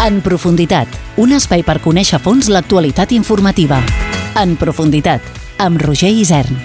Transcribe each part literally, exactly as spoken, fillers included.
En profunditat, un espai per conèixer a fons l'actualitat informativa. En profunditat, amb Roger Isern.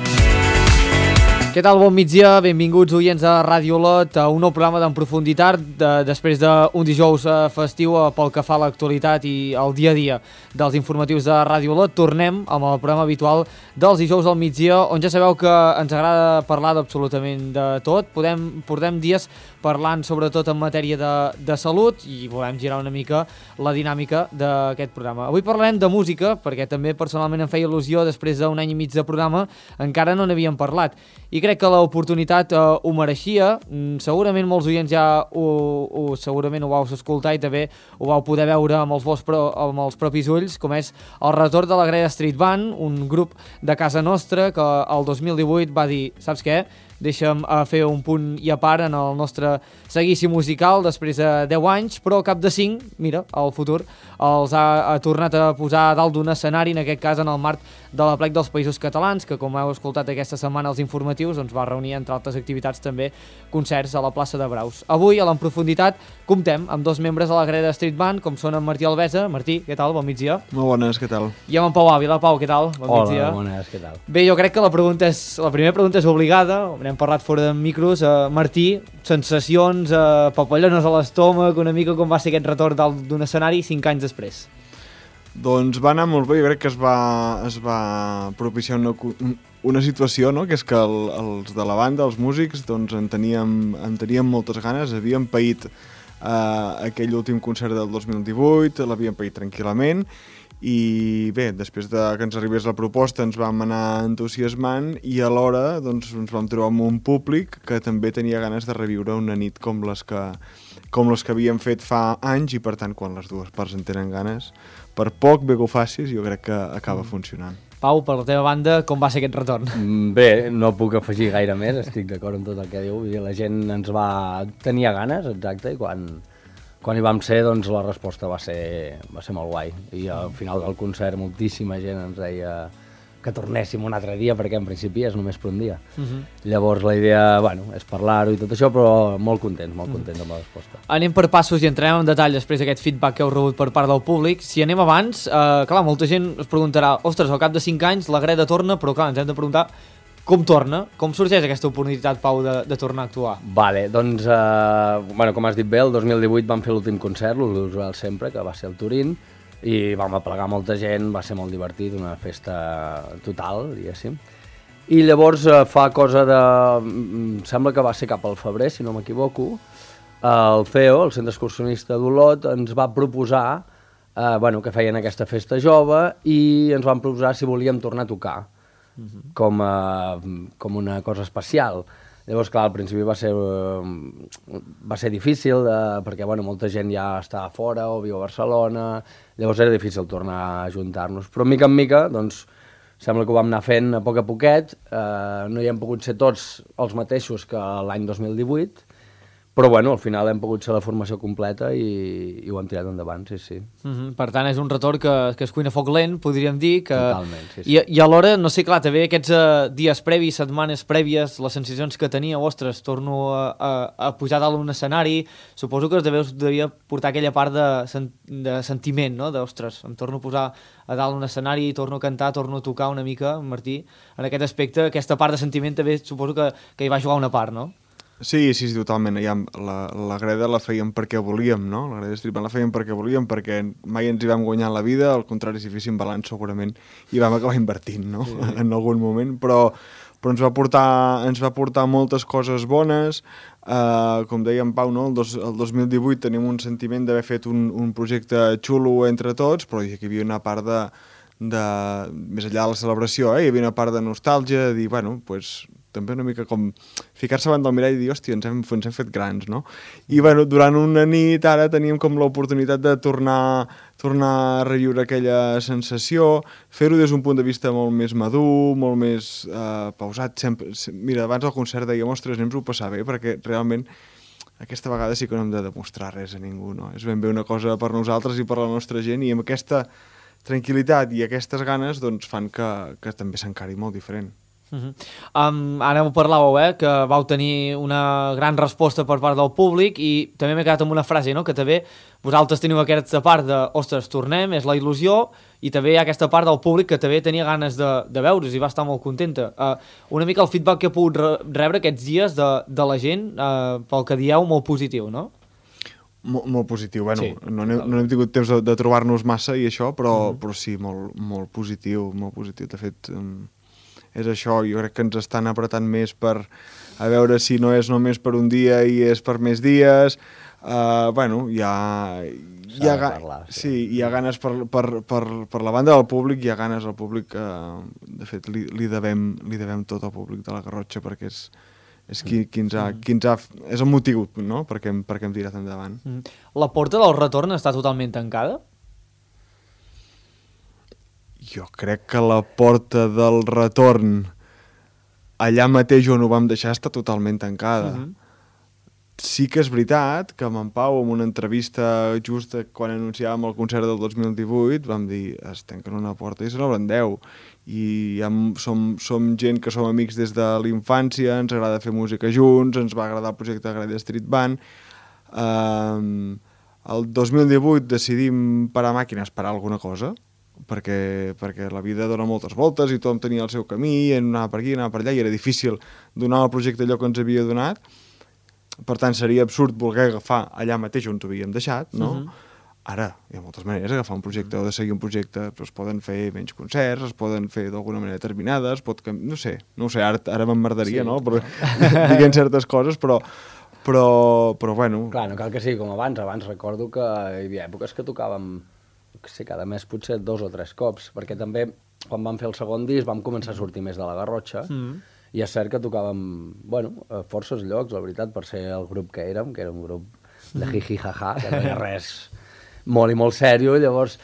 Què tal? Bon migdia, benvinguts oients de Ràdio Olot a un nou programa d'En Profunditat de, després d'un dijous festiu pel que fa a l'actualitat i al dia a dia dels informatius de Ràdio Olot. Tornem amb el programa habitual dels dijous al migdia, on ja sabeu que ens agrada parlar d'absolutament de tot. Podem, portem dies parlant sobretot en matèria de, de salut i volem girar una mica la dinàmica d'aquest programa. Avui parlarem de música, perquè també personalment em feia il·lusió, després d'un any i mig de programa, encara no n'havíem parlat. I crec que l'oportunitat eh, ho mereixia. Mm, segurament molts oients ja ho, ho, segurament ho vau escoltar i també ho vau poder veure amb els, vos, pro, amb els propis ulls, com és el retorn de la Greda Street Band, un grup de casa nostra que el dos mil divuit va dir, saps què? Deixa'm uh, fer un punt i a part en el nostre seguici musical després de deu anys, però al cap de cinc, mira, el futur els ha, ha tornat a posar dalt d'un escenari, en aquest cas en el marc de la Plec dels Països Catalans, que com heu escoltat aquesta setmana als informatius, doncs va reunir entre altres activitats també concerts a la plaça de Braus. Avui, a l'En Profunditat, comptem amb dos membres de la Greda Street Band, com són en Martí Alvesa. Martí, què tal? Bon migdia. Molt bones, què tal? I amb en Pau Ávila. Pau, què tal? Bon Hola, migdia. bones, què tal? Bé, jo crec que la pregunta és, la primera pregunta és obligada, n'hem parlat fora de micros. Uh, Martí, sensacions, uh, papallones a l'estómac, una mica com va ser aquest retorn dalt d'un escenari cinc anys després? Doncs va anar molt bé, jo crec que es va, es va propiciar una, una situació, no? Que és que el, els de la banda, els músics, doncs en teníem, en teníem moltes ganes, havíem paït uh, aquell últim concert del dos mil divuit, l'havíem paït tranquil·lament, i bé, després de que ens arribés la proposta ens vam anar entusiasmant i alhora doncs, ens vam trobar amb un públic que també tenia ganes de reviure una nit com les que, com les que havíem fet fa anys, i per tant quan les dues parts en tenen ganes, per poc bé que ho facis, jo crec que acaba funcionant. Pau, per la teva banda, com va ser aquest retorn? Bé, no puc afegir gaire més, estic d'acord amb tot el que diu. La gent ens va... tenia ganes, exacte, i quan... Quan hi vam ser, doncs la resposta va ser, va ser molt guai. I al final del concert moltíssima gent ens deia que tornéssim un altre dia, perquè en principi és només per un dia. Uh-huh. Llavors la idea, bueno, és parlar-ho i tot això, però molt contents, molt contents uh-huh. amb la resposta. Anem per passos i entrem en detall després d'aquest feedback que heu rebut per part del públic. Si anem abans, eh, clar, molta gent es preguntarà, ostres, al cap de cinc anys la Greda torna, però clar, ens hem de preguntar com torna? Com sorgeix aquesta oportunitat, Pau, de, de tornar a actuar? Vale, doncs, eh, bueno, com has dit bé, el dos mil divuit vam fer l'últim concert, l'usual sempre, que va ser el Turín, i vam aplegar molta gent, va ser molt divertit, una festa total, diguéssim. I llavors, eh, fa cosa de... sembla que va ser cap al febrer, si no m'equivoco, el C E O, el Centre Excursionista d'Olot, ens va proposar eh, bueno, que feien aquesta festa jove i ens van proposar si volíem tornar a tocar. Uh-huh. com, uh, com una cosa especial. Llavors, clar, al principi va ser, uh, va ser difícil, uh, perquè bueno, molta gent ja estava fora o viu a Barcelona, llavors era difícil tornar a ajuntar-nos. Però mica en mica, doncs, sembla que ho vam anar fent a poc a poquet, uh, no hi hem pogut ser tots els mateixos que l'any dos mil divuit, però bueno, al final hem pogut ser la formació completa i, i ho hem tirat endavant, sí, sí. Uh-huh. Per tant, és un retorn que, que es cuina a foc lent, podríem dir. Que... Totalment, sí, sí. I, i alhora, no sé, clar, també aquests uh, dies previs, setmanes prèvies, les sensacions que tenia, ostres, torno a, a, a pujar dalt d'un escenari, suposo que us deveu, devia portar aquella part de, sen, de sentiment, no?, d'ostres, em torno a posar a dalt d'un escenari, torno a cantar, torno a tocar una mica, Martí, en aquest aspecte, aquesta part de sentiment també suposo que, que hi va jugar una part, no? Sí, sí, sí, totalment. Ja, la, la Greda la fèiem perquè volíem, no? La Greda Street Band la fèiem perquè volíem, perquè mai ens hi vam guanyar la vida, al contrari, si féssim balanç segurament hi vam acabar invertint, no? Sí. En algun moment, però, però ens va portar, ens va portar moltes coses bones. Uh, com deia en Pau, no? el, dos, el dos mil divuit tenim un sentiment d'haver fet un, un projecte xulo entre tots, però hi havia una part de, de... més enllà de la celebració, eh? Hi havia una part de nostàlgia, de dir, bueno, doncs... Pues, també una mica com ficar-se davant del mirall i dir, hòstia, ens hem, ens hem fet grans, no? I bueno, durant una nit ara teníem com l'oportunitat de tornar, tornar a reviure aquella sensació, fer-ho des d'un punt de vista molt més madur, molt més eh, pausat. Sempre, mira, abans del concert dèiem, ostres, anem-ho a passar bé, perquè realment aquesta vegada sí que no hem de demostrar res a ningú, no? És ben bé una cosa per nosaltres i per la nostra gent, i amb aquesta tranquil·litat i aquestes ganes doncs, fan que, que també s'encari molt diferent. Uh -huh. um, ara ho parlàveu, eh, que vau tenir una gran resposta per part del públic i també m'he quedat amb una frase, no?, que també vosaltres teniu aquesta part de ostres, tornem, és la il·lusió, i també hi ha aquesta part del públic que també tenia ganes de, de veure's i va estar molt contenta. Uh, una mica el feedback que he pogut re rebre aquests dies de, de la gent, uh, pel que dieu, molt positiu, no? Molt, molt positiu, bueno, sí, no, hem, no hem tingut temps de, de trobar-nos massa i això, però, mm. però sí, molt, molt positiu, molt positiu, de fet... Um... és això, jo crec que ens estan apretant més per a veure si no és només per un dia i és per més dies. Uh, bueno, hi ha... Hi ha, parlar, sí. Sí, hi ha ganes per, per, per, per la banda del públic, hi ha ganes al públic, uh, de fet li, li, devem, li devem tot al públic de la Garrotxa perquè és, és, qui, qui ens ha, qui ens ha, és el motiu, no?, perquè hem, perquè hem tirat endavant. Mm. La porta del retorn està totalment tancada? Jo crec que la porta del retorn allà mateix on ho vam deixar està totalment tancada. Uh-huh. Sí que és veritat que amb en Pau, en una entrevista just quan anunciàvem el concert del dos mil divuit, vam dir, es tanquen una porta i se n'obren deu. I ja som, som gent que som amics des de la infància, ens agrada fer música junts, ens va agradar el projecte de Greda Street Band. Um, el dos mil divuit decidim parar màquines, parar alguna cosa, perquè, perquè la vida dona moltes voltes i tothom tenia el seu camí, anava per aquí, anava per allà, i era difícil donar al projecte allò que ens havia donat. Per tant, seria absurd voler agafar allà mateix on ho havíem deixat, no? Uh-huh. Ara, hi ha moltes maneres d'agafar un projecte o de seguir un projecte, però es poden fer menys concerts, es poden fer d'alguna manera determinada, es pot... no sé, no ho sé, ara, ara m'emmerdaria, sí, no? Però, diguent certes coses, però... Però, però bueno... Clar, no cal que sigui com abans. Abans recordo que hi havia èpoques que tocàvem, que sé, cada mes potser dos o tres cops, perquè també, quan vam fer el segon disc, vam començar a sortir més de la Garrotxa, mm. i és cert que tocàvem, bueno, a forces llocs, la veritat, per ser el grup que érem, que era un grup de jiji-jaja, que no hi ha res molt i molt sèrio, i llavors,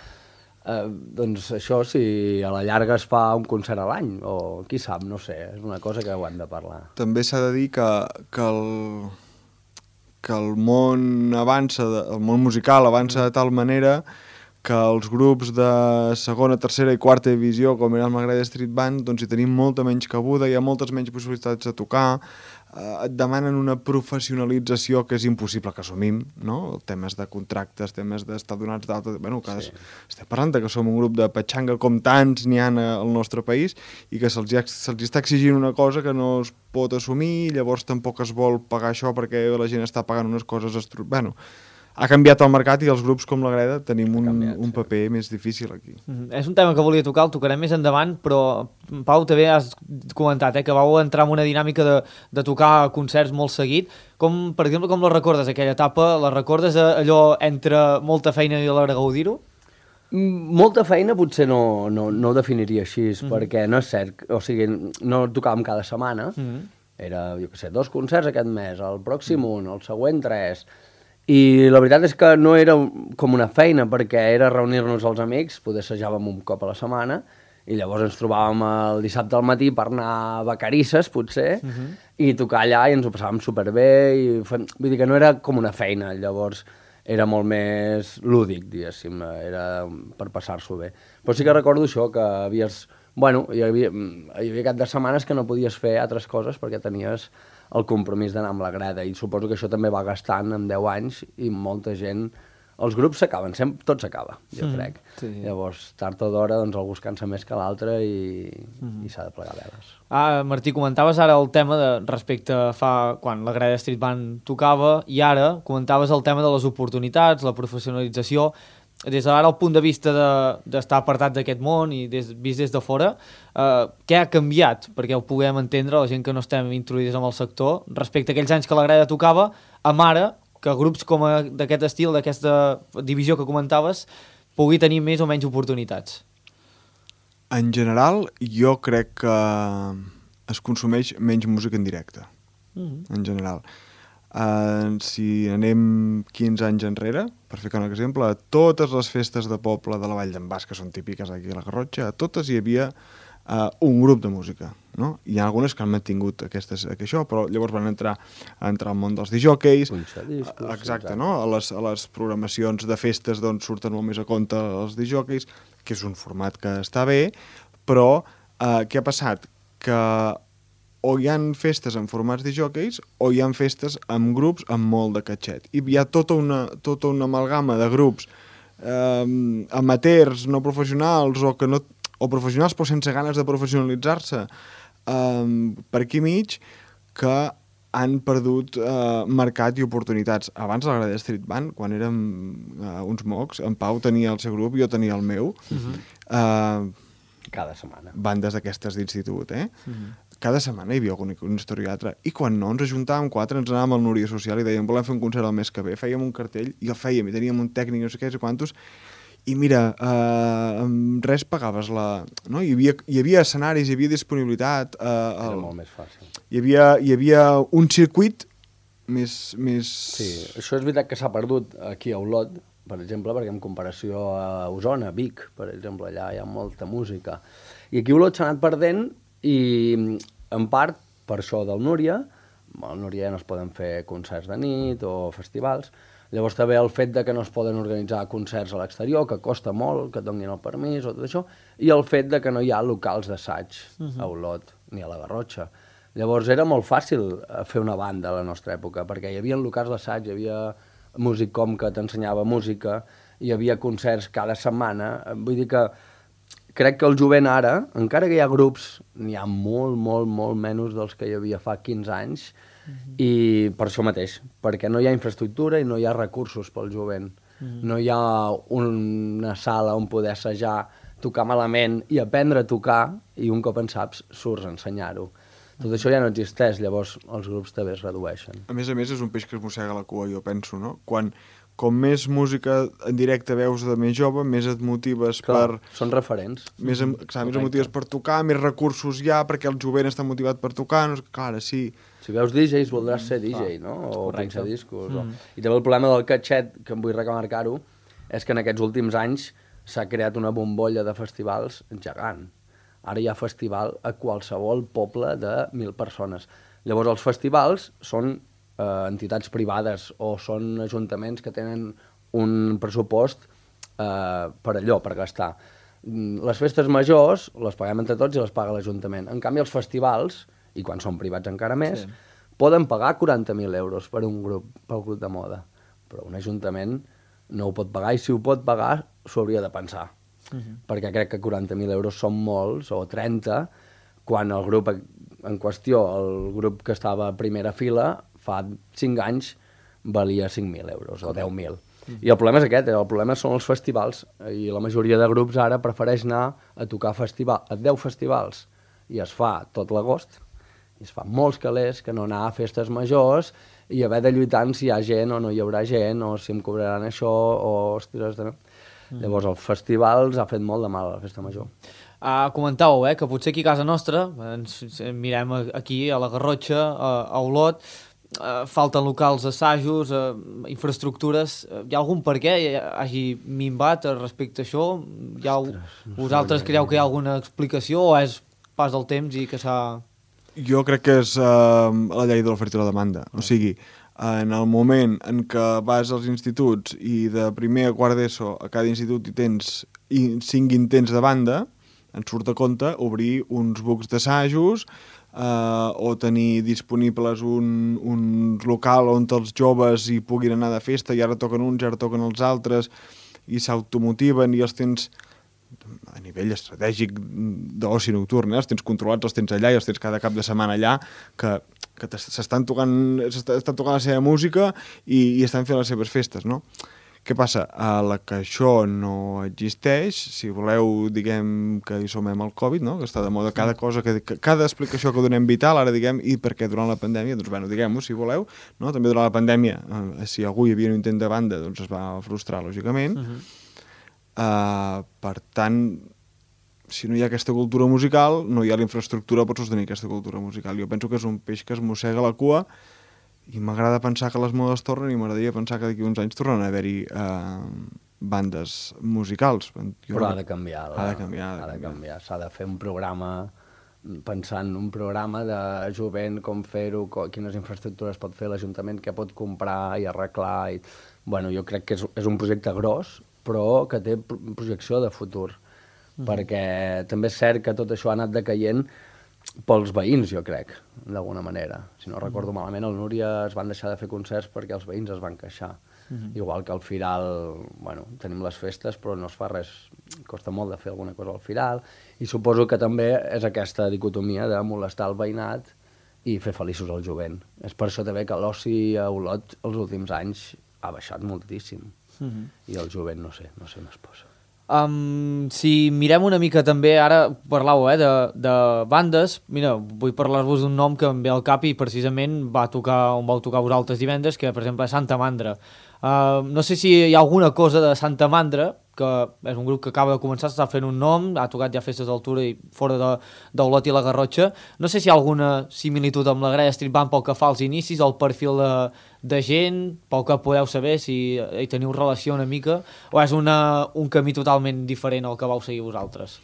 eh, doncs això, si a la llarga es fa un concert a l'any, o qui sap, no sé, és una cosa que ho hem de parlar. També s'ha de dir que, que el... que el món avança, el món musical avança de tal manera que els grups de segona, tercera i quarta divisió, com era el Greda Street Band, doncs hi tenim molta menys cabuda, hi ha moltes menys possibilitats de tocar, eh, et demanen una professionalització que és impossible que assumim, no? Temes de contractes, temes d'estar donats d'alta... Bueno, cada... sí. Estem parlant que som un grup de petxanga com tants n'hi ha al nostre país i que se'ls se està exigint una cosa que no es pot assumir, llavors tampoc es vol pagar això perquè la gent està pagant unes coses... Estru... Bueno, ha canviat el mercat i els grups com la Greda tenim un, canviat, un paper sí. més difícil aquí. Mm-hmm. És un tema que volia tocar, el tocarem més endavant, però Pau, també has comentat eh, que vau entrar en una dinàmica de, de tocar concerts molt seguit. Com, per exemple, com la recordes, aquella etapa? La recordes allò entre molta feina i a l'hora de gaudir-ho? Molta feina potser no, no, no ho definiria així, mm-hmm. perquè no és cert, o sigui, no tocàvem cada setmana, mm-hmm. era, jo què sé, dos concerts aquest mes, el pròxim un, el següent tres... I la veritat és que no era com una feina, perquè era reunir-nos els amics, poder assajàvem un cop a la setmana, i llavors ens trobàvem el dissabte al matí per anar a Vacarisses, potser, uh-huh. i tocar allà i ens ho passàvem superbé, i fem... vull dir que no era com una feina, llavors era molt més lúdic, diguéssim, era per passar-s'ho bé. Però sí que recordo això, que havies... Bueno, hi havia, hi havia cap de setmanes que no podies fer altres coses perquè tenies el compromís d'anar amb la Greda, i suposo que això també va gastant en deu anys i molta gent... Els grups s'acaben, tot s'acaba, jo mm, crec. Sí. Llavors, tard o d'hora, doncs algú es cansa més que l'altre i, mm. i s'ha de plegar veles. Ah, Martí, comentaves ara el tema de respecte a fa... quan la Greda Street Band tocava, i ara comentaves el tema de les oportunitats, la professionalització. Des d'ara, el punt de vista d'estar de, apartat d'aquest món i des, vist des de fora, eh, què ha canviat? Perquè ho puguem entendre, la gent que no estem introduïts en el sector, respecte a aquells anys que la Greda tocava, amb ara, que grups com d'aquest estil, d'aquesta divisió que comentaves, pugui tenir més o menys oportunitats. En general, jo crec que es consumeix menys música en directe, mm-hmm. en general. Uh, si anem quinze anys enrere, per ficar un exemple, a totes les festes de poble de la Vall d'en Bas, que són típiques aquí a la Garrotxa, a totes hi havia uh, un grup de música, no? Hi ha algunes que han mantingut aquestes, això, però llavors van entrar a entrar al món dels disjòqueis, discos, exacte, no? A les, a les programacions de festes d'on surten molt més a compte els disjòqueis, que és un format que està bé, però uh, què ha passat? que o hi ha festes en formats de jockeys o hi ha festes amb grups amb molt de catxet. I hi ha tota una, tota una amalgama de grups eh, amateurs, no professionals, o, que no, o professionals però sense ganes de professionalitzar-se eh, per aquí mig, que han perdut eh, mercat i oportunitats. Abans de la Grada Street Band, quan érem eh, uns mocs, en Pau tenia el seu grup, jo tenia el meu, uh-huh. eh, cada setmana. Bandes d'aquestes d'institut, eh? Uh-huh. Cada setmana hi havia algun, un historiatre. I quan no, ens ajuntàvem quatre, ens anàvem al Núria Social i dèiem, volem fer un concert el mes que ve. Fèiem un cartell i el fèiem, i teníem un tècnic, no sé què, no sé quantos, i mira, eh, amb res pagaves la... No? Hi, havia, hi havia escenaris, hi havia disponibilitat. Eh, el... Era molt més fàcil. Hi havia, hi havia un circuit més... més... Sí, això és veritat que s'ha perdut aquí a Olot, per exemple, perquè en comparació a Osona, Vic, per exemple, allà hi ha molta música. I aquí a Olot s'ha anat perdent i, en part, per això del Núria, al Núria ja no es poden fer concerts de nit o festivals, llavors també el fet de que no es poden organitzar concerts a l'exterior, que costa molt, que et donin el permís o tot això, i el fet de que no hi ha locals d'assaig uh-huh. a Olot ni a la Garrotxa. Llavors era molt fàcil fer una banda a la nostra època, perquè hi havia locals d'assaig, hi havia Musicom que t'ensenyava música, hi havia concerts cada setmana, vull dir que crec que el jovent ara, encara que hi ha grups, n'hi ha molt, molt, molt menys dels que hi havia fa quinze anys, uh-huh. i per això mateix, perquè no hi ha infraestructura i no hi ha recursos pel jovent. Uh-huh. No hi ha una sala on poder assajar, tocar malament i aprendre a tocar, i un cop en saps, surts a ensenyar-ho. Tot això ja no existeix, llavors els grups també es redueixen. A més a més, és un peix que es mossega la cua, jo penso, no? Quan... Com més música en directe veus de més jove, més et motives Clar, per... Són referents. Més, em, clar, més et motives per tocar, més recursos hi ha, perquè el jovent està motivat per tocar, no? Clar, sí. Si veus D Js, voldràs ser D J, mm, no? O pinxar discos. Mm. O... I també el problema del catxet, que em vull remarcar-ho, és que en aquests últims anys s'ha creat una bombolla de festivals gegant. Ara hi ha festival a qualsevol poble de mil persones. Llavors, els festivals són... Eh, entitats privades o són ajuntaments que tenen un pressupost eh, per allò, per gastar. Les festes majors les paguem entre tots i les paga l'Ajuntament. En canvi, els festivals, i quan són privats encara més, sí. poden pagar quaranta mil euros per un grup, pel grup de moda. Però un ajuntament no ho pot pagar, i si ho pot pagar, s'ho hauria de pensar. Uh-huh. Perquè crec que quaranta mil euros són molts, o trenta, quan el grup en qüestió, el grup que estava a primera fila, fa cinc anys valia cinc mil euros o deu mil. Mm-hmm. I el problema és aquest, el problema són els festivals, i la majoria de grups ara prefereix anar a tocar festival, a deu festivals, i es fa tot l'agost, i es fa molts calés que no anar a festes majors i haver de lluitar si hi ha gent o no hi haurà gent, o si em cobraran això, o ostres... De... Mm. Llavors els festivals ha fet molt de mal a la festa major. Uh, comentàveu, eh, que potser aquí a casa nostra, ens mirem aquí a la Garrotxa, a, a Olot, Uh, falten locals, assajos, uh, infraestructures. Uh, hi ha algun per què hagi minvat respecte a això? Hi ha, Ostres, no vosaltres creieu que hi ha alguna explicació o és pas del temps i que s'ha... Jo crec que és uh, la llei de l'oferta i la demanda. O sigui, en el moment en què vas als instituts i de primer a quart d'ESO a cada institut hi tens cinc intents de banda, ens surt a compte obrir uns bucs d'assajos, Uh, o tenir disponibles un, un local on els joves hi puguin anar de festa i ara toquen uns, ara toquen els altres i s'automotiven i els tens a nivell estratègic d'oci nocturn, eh? Els tens controlats, els tens allà i els tens cada cap de setmana allà que, que s'estan tocant, s'estan tocant la seva música i, i estan fent les seves festes, no? Què passa? A la que això no existeix, si voleu, diguem que hi somem al Covid, no? Que està de moda cada cosa, que, que cada explicació que donem vital, ara diguem, i per què durant la pandèmia, doncs bueno, diguem-ho, si voleu, no? També durant la pandèmia, eh, si algú hi havia un intent de banda, doncs es va frustrar, lògicament. Uh-huh. uh, per tant, si no hi ha aquesta cultura musical, no hi ha la infraestructura per sostenir aquesta cultura musical. Jo penso que és un peix que es mossega la cua, i m'agrada pensar que les modes tornen i m'agradaria pensar que d'aquí uns anys tornen a haver-hi eh, bandes musicals. Jo Però ha de canviar. La, ha de canviar. Ha de canviar. S'ha de fer un programa, pensant un programa de jovent, com fer-ho, quines infraestructures pot fer l'Ajuntament, què pot comprar i arreglar. I... Bueno, jo crec que és, és un projecte gros, però que té projecció de futur. Mm-hmm. Perquè també és cert que tot això ha anat decaient pels veïns, jo crec, d'alguna manera. Si no recordo malament, al Núria es van deixar de fer concerts perquè els veïns es van queixar. Mm-hmm. Igual que al Firal, bueno, tenim les festes, però no es fa res, costa molt de fer alguna cosa al Firal, i suposo que també és aquesta dicotomia de molestar el veïnat i fer feliços el jovent. És per això també que l'oci a Olot els últims anys ha baixat moltíssim. Mm-hmm. I el jovent, no sé, no sé on es posa. Um, si mirem una mica també, ara parlàveu eh, de, de bandes, mira, vull parlar-vos d'un nom que em ve al cap i precisament va tocar on vau tocar vosaltres divendres, que per exemple és Santa Mandra. Uh, no sé si hi ha alguna cosa de Santa Mandra, que és un grup que acaba de començar, està fent un nom, ha tocat ja festes d'altura i fora d'Olot i la Garrotxa. No sé si hi ha alguna similitud amb la Grella Street Band pel que fa als inicis, el perfil de, de gent, pel que podeu saber, si hi teniu relació una mica, o és una, un camí totalment diferent al que vau seguir vosaltres?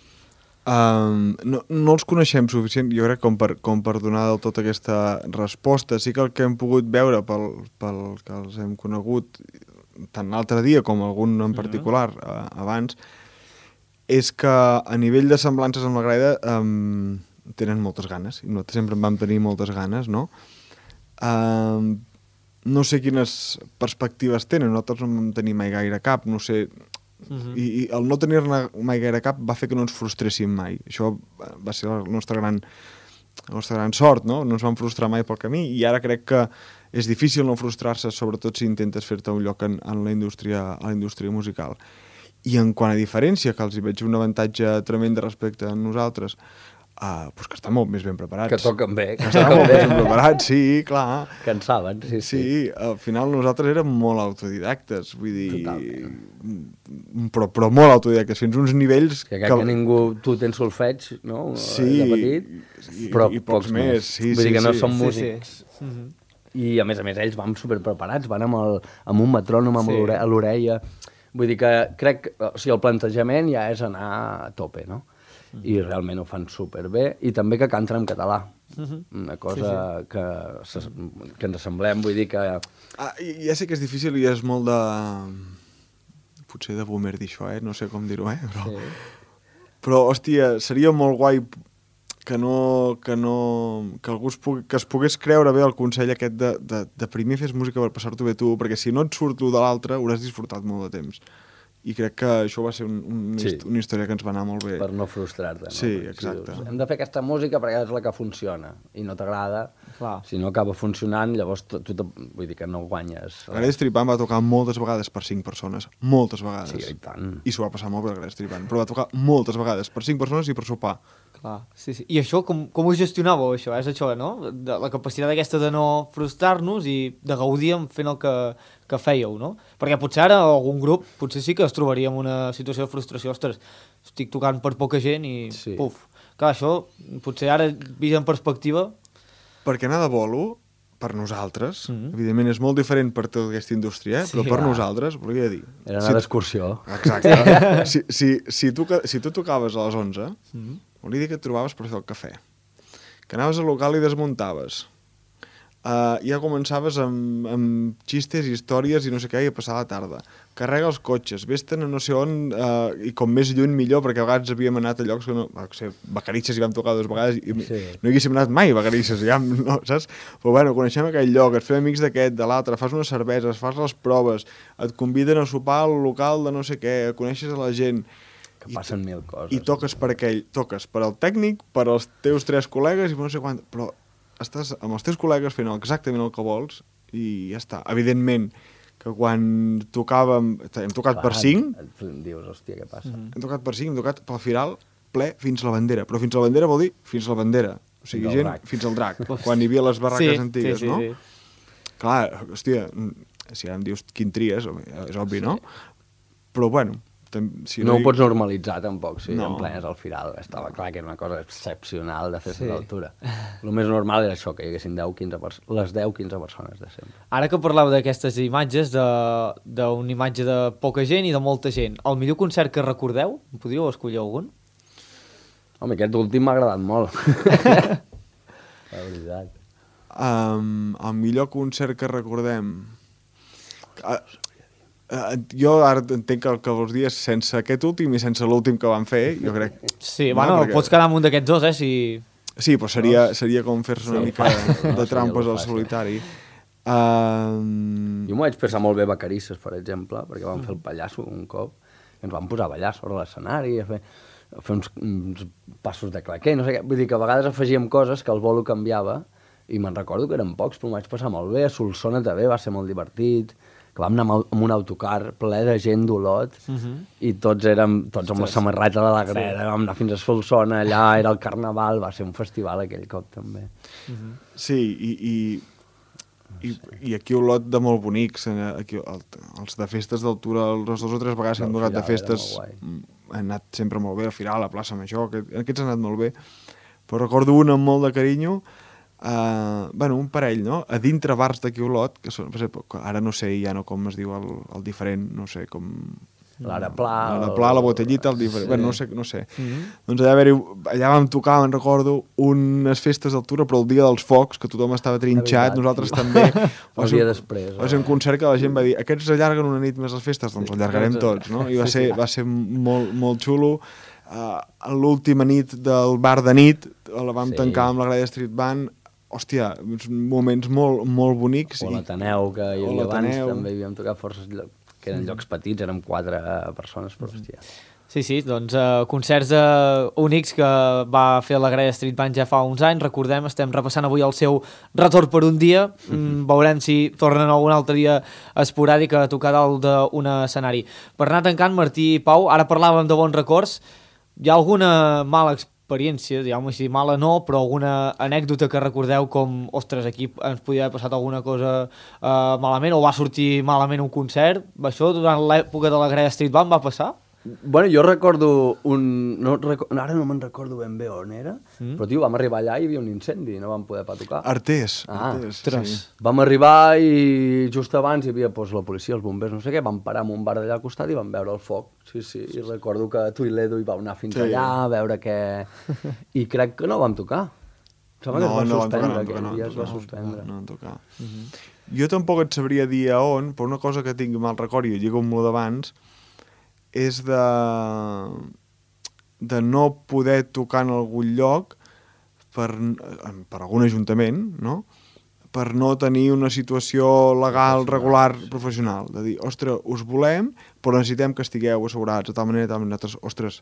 Um, no, no els coneixem suficient, jo crec, com per, com per donar del tot aquesta resposta. Sí que el que hem pogut veure pel, pel que els hem conegut tant l'altre dia com algun en particular uh, abans, és que a nivell de semblances amb la Greda um, tenen moltes ganes, i nosaltres sempre en vam tenir moltes ganes, no? Um, no sé quines perspectives tenen, nosaltres no en vam tenir mai gaire cap, no sé... Uh-huh. I, i el no tenir-ne mai gaire cap va fer que no ens frustréssim mai. Això va ser la nostra gran, la nostra gran sort, no? No ens vam frustrar mai pel camí, i ara crec que és difícil no frustrar-se, sobretot si intentes fer-te un lloc en, en la indústria, a la indústria musical. I en quant a diferència, que els hi veig un avantatge tremend respecte a nosaltres, uh, pues que estan molt més ben preparats. Que toquen bé. Que estan molt més ben preparats, sí, clar. Que en saben, sí, sí. Sí, al final nosaltres érem molt autodidactes, vull dir... Totalment. Però, però molt autodidactes, fins uns nivells... Que, que, que ningú... Tu tens solfeig, no? Sí, de petit, i, però i pocs, pocs més. més. Sí, vull sí, dir que no sí. som músics. Sí, sí. Uh-huh. I a més a més ells van superpreparats, van amb, el, amb un metrònom amb sí. a l'orella. Vull dir que crec... O sigui, el plantejament ja és anar a tope, no? Mm. I realment ho fan superbé, i també que canten en català, mm-hmm. una cosa sí, sí. Que, que ens assemblem, vull dir que... Ah, ja sé que és difícil i és molt de... potser de boomer dir això, eh? No sé com dir-ho, eh? Però, sí. Però, hòstia, seria molt guai que no... que, no, que algú es, pugui, que es pogués creure bé el consell aquest de, de, de primer fes música per passar-t'ho bé tu, perquè si no et surt lo de l'altre hauràs disfrutat molt de temps. I crec que això va ser un, un, sí. una història que ens va anar molt bé. Per no frustrar-te, no? Sí, exacte. Si dius, hem de fer aquesta música perquè és la que funciona, i no t'agrada, si no acaba funcionant, llavors tu, tu vull dir que no guanyes. La Grella Street Band va tocar moltes vegades per cinc persones, moltes vegades. Sí, i tant. I s'ho va passar molt bé la Grella Street Band, però va tocar moltes vegades per cinc persones i per sopar. Clar, sí, sí. I això, com, com ho gestionàveu, això? És això, no? De, la capacitat aquesta de no frustrar-nos i de gaudir fent el que, que fèieu, no? Perquè potser ara algun grup, potser sí que es trobaria en una situació de frustració. Ostres, estic tocant per poca gent i sí. Puf. Clar, això, potser ara, vist en perspectiva... Perquè anar de bolo, per nosaltres, mm-hmm. evidentment és molt diferent per tota aquesta indústria, eh? Sí, però per clar. Nosaltres, volia dir... Era anar si d'excursió. Exacte. si, si, si, tu, si tu tocaves a les onze, mm-hmm. volia dir que et trobaves per fer el cafè, que anaves al local i desmuntaves, uh, ja començaves amb, amb xistes, històries i no sé què, i a passar la tarda. Carrega els cotxes, vés-te'n a no sé on, uh, i com més lluny millor, perquè a vegades havíem anat a llocs que no... No sé, Vacarisses hi vam tocar dues vegades i sí. No hi haguéssim anat mai a Vacarisses, ja, no, saps? Però bueno, coneixem aquell lloc, et fem amics d'aquest, de l'altre, fas unes cerveses, fas les proves, et conviden a sopar al local de no sé què, coneixes a la gent... Que passen mil coses. I toques per aquell, toques per al tècnic, per als teus tres col·legues i no sé quant, però estàs amb els teus col·legues fent exactament el que vols i ja està. Evidentment que quan tocàvem, hem tocat clar, per cinc, dius, hòstia, què passa? Mm-hmm. Hem tocat per cinc, hem tocat pel Firal ple fins a la bandera, però fins a la bandera vol dir fins a la bandera, o sigui, gent drac. Fins al drac, quan hi havia les barraques sí, antigues, sí, sí, no? Sí. Clar, hòstia, si ara em dius quin tries, és obvi, sí. No? Però bueno, si no, no hi... ho pots normalitzar tampoc, si no. En plenes al Firal estava clar que era una cosa excepcional de fer-se sí. D'altura. El més normal era això, que hi haguessin deu quinze pers- les deu quinze persones de sempre. Ara que parlàveu d'aquestes imatges, d'una imatge de poca gent i de molta gent, el millor concert que recordeu? Podríeu escollir algun? Home, aquest últim m'ha agradat molt. La veritat. Um, el millor concert que recordem... Uh, Uh, jo ara entenc que el que vols dir és sense aquest últim i sense l'últim que van fer, jo crec... Sí, no, bueno, perquè... pots quedar amb un d'aquests dos, eh, si... Sí, però seria, seria com fer-se una Sí, mica fàcil, no? de trampes Seria al fàcil. solitari. Uh... Jo m'ho vaig passar molt bé a Vacarisses, per exemple, perquè vam fer el pallasso un cop, i ens vam posar a ballar sobre l'escenari, a fer, a fer uns, uns passos de claquer, no sé què. Vull dir que a vegades afegíem coses que el bolo canviava, i me'n recordo que eren pocs, però m'ho vaig passar molt bé. A Solsona també va ser molt divertit, que vam anar amb, el, amb un autocar ple de gent d'Olot, uh -huh. i tots érem, tots amb la samarreta de la greda, sí. Vam anar fins a Solsona, allà era el carnaval, va ser un festival aquell cop també. Uh -huh. Sí, i, i, i, i aquí Olot de molt bonics, aquí, el, els de festes d'altura, les dues o tres vegades que hem tocat de festes, han anat sempre molt bé, al final, a la plaça Major, aquest, aquests han anat molt bé, però recordo un amb molt de carinyo. Uh, bueno, un parell, no? A dintre bars d'aquí Olot, que són, per exemple, ara no sé ja no com es diu el, el diferent, no sé, com... L'Araplà... L'Araplà, la Botellita, el diferent... Sí. Bueno, no sé, no sé. Mm-hmm. Doncs allà, allà vam tocar, me'n recordo, unes festes d'altura, però el dia dels focs, que tothom estava trinxat, nosaltres també. El dia després. Va ser un concert que la gent va dir, aquests allarguen una nit més les festes, doncs allargarem tots, no? I va ser, va ser molt, molt xulo. Uh, l'última nit del bar de nit, la vam sí. tancar amb la Greda Street Band. Hòstia, moments molt, molt bonics. O l'Ateneu, que hi havia abans, també havíem tocat forces llocs, que eren llocs petits, érem quatre persones, però hòstia. Sí, sí, doncs uh, concerts uh, únics que va fer la Greda Street Band ja fa uns anys, recordem, estem repassant avui el seu retorn per un dia, mm, mm-hmm. veurem si tornen algun altre dia esporàdic a tocar dalt d'un escenari. Per anar tancant, Martí i Pau, ara parlàvem de bons records, hi ha alguna mala experiència experiència, diguem-ho així, mala no, però alguna anècdota que recordeu com, ostres, aquí ens podia haver passat alguna cosa uh, malament, o va sortir malament un concert? Això durant l'època de la Greda Street Band va passar? Bueno, jo recordo un... No, ara no me'n recordo ben bé on era, mm. però, tio, vam arribar allà i hi havia un incendi i no vam poder pas tocar. Artés. Ah, Artés, sí. Vam arribar i just abans hi havia pues, la policia, els bombers, no sé què, vam parar en un bar d'allà al costat i vam veure el foc. Sí, sí, i recordo que tu i l'Edu hi vau anar fins sí. allà a veure què... I crec que no vam tocar. Sembla no, que es va no suspendre, tocar, aquell no, dia no, es va no, suspendre. No, no tocar. Uh -huh. Jo tampoc et sabria dir a on, però una cosa que tinc mal record, i ho lligo amb lo d'abans, és de, de no poder tocar en algun lloc per, per algun ajuntament, no? Per no tenir una situació legal, regular, professional. De dir, ostres, us volem, però necessitem que estigueu assegurats de tal manera, de tal manera, nosaltres, ostres,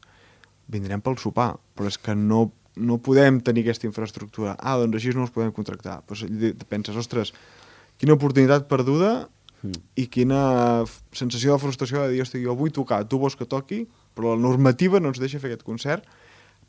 vindrem pel sopar, però és que no, no podem tenir aquesta infraestructura. Ah, doncs així no us podem contractar. Pues penses, ostres, quina oportunitat perduda i quina sensació de frustració de dir, hosti, jo vull tocar, tu vols que toqui, però la normativa no ens deixa fer aquest concert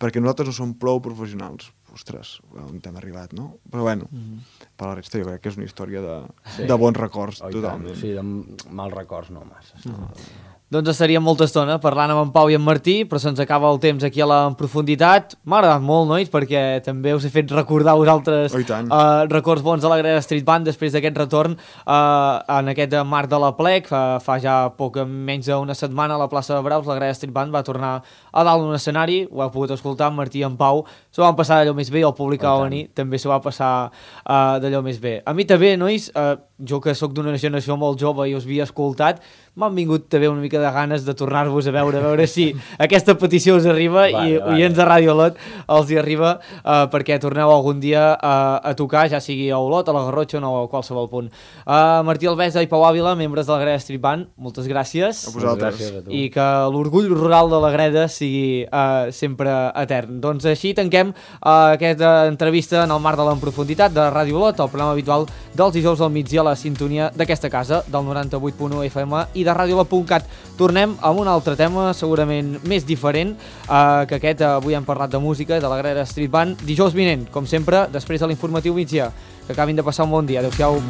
perquè nosaltres no som prou professionals. Ostres, on hem arribat, no? Però bueno, mm-hmm. per la resta jo crec que és una història de, sí. de bons records, oh, totalment. Sí, de mals records no massa. Mm-hmm. Doncs estaríem molta estona parlant amb en Pau i en Martí, però se'ns acaba el temps aquí a la en profunditat. M'ha agradat molt, nois, perquè també us he fet recordar vosaltres oh, uh, records bons de la Greda Street Band després d'aquest retorn uh, en aquest marc de la Plec. Fa, fa ja poc menys d'una setmana a la plaça de Braus la Greda Street Band va tornar a dalt d'un escenari, ho heu pogut escoltar, en Martí i en Pau s'ho van passar d'allò més bé, el públic oh, va venir, també s'ho va passar uh, d'allò més bé. A mi també, nois, uh, jo que sóc d'una generació molt jove i us havia escoltat, m'han vingut també una mica de ganes de tornar-vos a veure, a veure si aquesta petició us arriba vale, i vale. Oients de Ràdio Olot els hi arriba uh, perquè torneu algun dia uh, a tocar, ja sigui a Olot, a la Garrotxa o no, a qualsevol punt. Uh, Martí Alvesa i Pau Àvila, membres de la Greda Street Band, moltes gràcies. A vosaltres. Gràcies a I que l'orgull rural de la Greda sigui uh, sempre etern. Doncs així tanquem uh, aquesta entrevista en el marc de l'Enprofunditat de Ràdio Olot, el programa habitual dels dijous al migdia a la sintonia d'aquesta casa, del noranta-vuit punt u F M i de radiolot punt cat. Tornem amb un altre tema segurament més diferent, eh, que aquest avui hem parlat de música, de la Greda Street Band, dijous vinent, com sempre, després de l'informatiu migdia. Que acabin de passar un bon dia. Adéu-siau.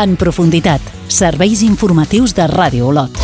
En profunditat, serveis informatius de Ràdio Olot.